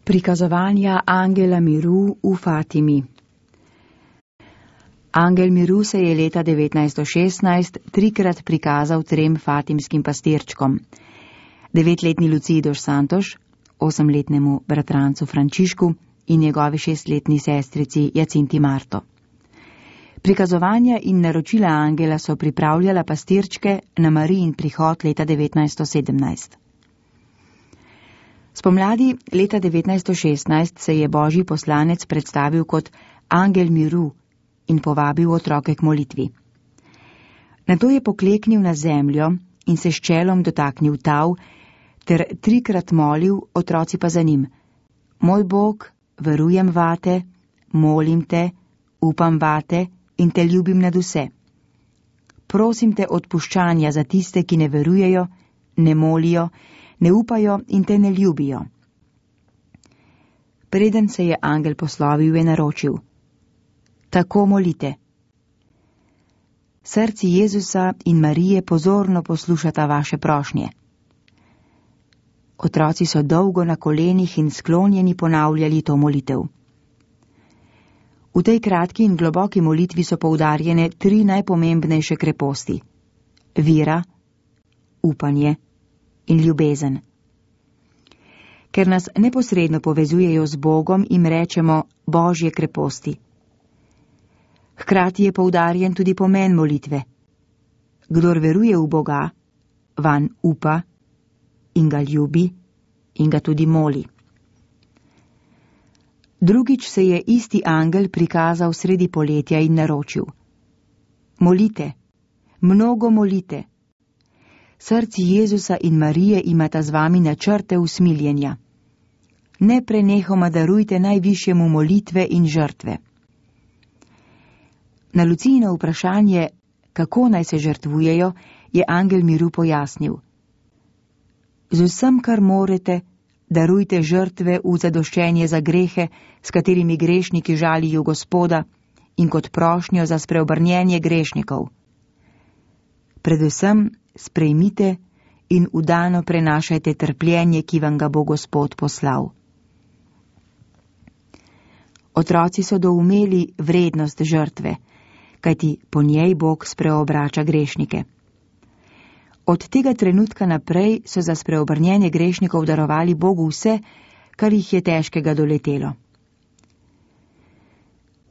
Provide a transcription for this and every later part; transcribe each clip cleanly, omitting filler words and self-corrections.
Prikazovanja angela miru v Fatimi. Angel miru se je leta 1916 trikrat prikazal 3 fatimskim pastirčkom. 9-letni Luciji dos Santos, 8-letnemu bratrancu Frančišku in njegovi 6-letni sestrici Jacinti Marto. Prikazovanja in naročila angela so pripravljala pastirčke na Marijin prihod leta 1917. Spomladi leta 1916 se je božji poslanec predstavil kot angel miru in povabil otroke k molitvi. Nato je pokleknil na zemljo in se s čelom dotaknil tav ter 3krat molil, otroci pa za njim: Moj Bog, verujem vate, molim te, upam vate in te ljubim nad vse. Prosim te odpuščanja za tiste, ki ne verujejo, ne molijo, ne upajo in te ne ljubijo. Preden se je angel poslovil, je naročil: Tako molite. Srci Jezusa in Marije pozorno poslušata vaše prošnje. Otroci so dolgo na kolenih in sklonjeni ponavljali to molitev. V tej kratki in globoki molitvi so poudarjene 3 najpomembnejše kreposti: vera, upanje in ljubezen. Ker nas neposredno povezujejo z Bogom, jim rečemo božje kreposti. Hkrati je poudarjen tudi pomen molitve. Kdor veruje v Boga, vanj upa in ga ljubi in ga tudi moli. Drugič se je isti angel prikazal sredi poletja in naročil: Molite, mnogo molite. Srci Jezusa in Marije imata z vami načrte usmiljenja. Neprenehoma darujte najvišjemu molitve in žrtve. Na Lucijino vprašanje, kako naj se žrtvujejo, je angel miru pojasnil: Z vsem, kar morete, darujte žrtve v zadoščenje za grehe, s katerimi grešniki žalijo Gospoda, in kot prošnjo za spreobrnjenje grešnikov. Predvsem sprejmite in vdano prenašajte trpljenje, ki vam ga bo Gospod poslal. Otroci so doumeli vrednost žrtve, kajti po njej Bog spreobrača grešnike. Od tega trenutka naprej so za spreobrnjenje grešnikov darovali Bogu vse, kar jih je težkega doletelo.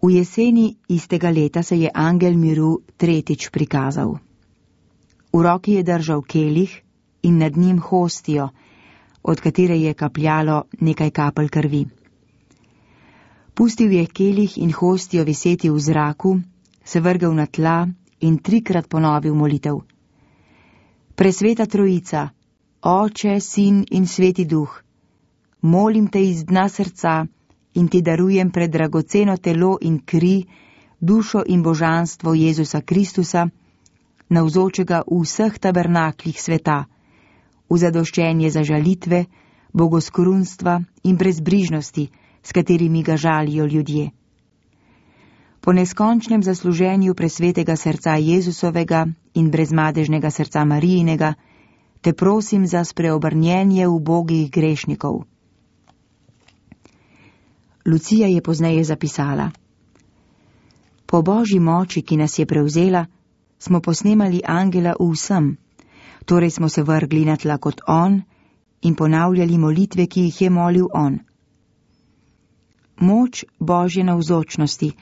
V jeseni istega leta se je angel miru 3. prikazal. V roki je držal kelih in nad njim hostijo, od katere je kapljalo nekaj kapelj krvi. Pustil je kelih in hostijo viseti v zraku, se vrgel na tla in 3krat ponovil molitev: Presveta Trojica, Oče, Sin in Sveti Duh, molim te iz dna srca in ti darujem predragoceno telo in kri, dušo in božanstvo Jezusa Kristusa, navzočega v vseh tabernaklih sveta, v zadoščenje za žalitve, bogoskorunstva in brezbrižnosti, s katerimi ga žalijo ljudje. Po neskončnem zasluženju presvetega srca Jezusovega in brezmadežnega srca Marijinega, te prosim za spreobrnjenje ubogih grešnikov. Lucija je pozneje zapisala: Po božji moči, ki nas je prevzela, smo posnemali angela v vsem, torej smo se vrgli na tla kot on in ponavljali molitve, ki jih je molil on. Moč božje navzočnosti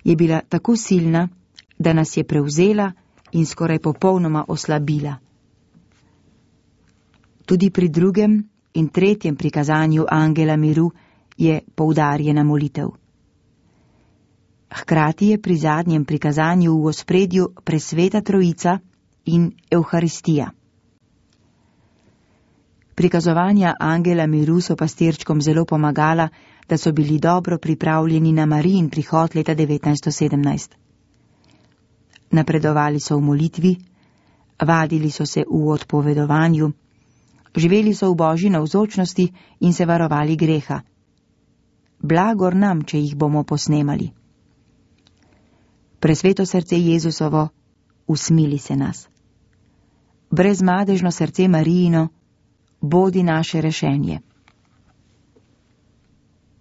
je bila tako silna, da nas je prevzela in skoraj popolnoma oslabila. Tudi pri 2. in 3. prikazanju angela miru je poudarjena molitev. Hkrati je pri zadnjem prikazanju v ospredju presveta Trojica in Evharistija. Prikazovanja angela miru so pastirčkom zelo pomagala, da so bili dobro pripravljeni na Marijin prihod leta 1917. Napredovali so v molitvi, vadili so se v odpovedovanju, živeli so v božji navzočnosti in se varovali greha. Blagor nam, če jih bomo posnemali. Presveto srce Jezusovo, usmili se nas. Brezmadežno srce Marijino, bodi naše rešenje.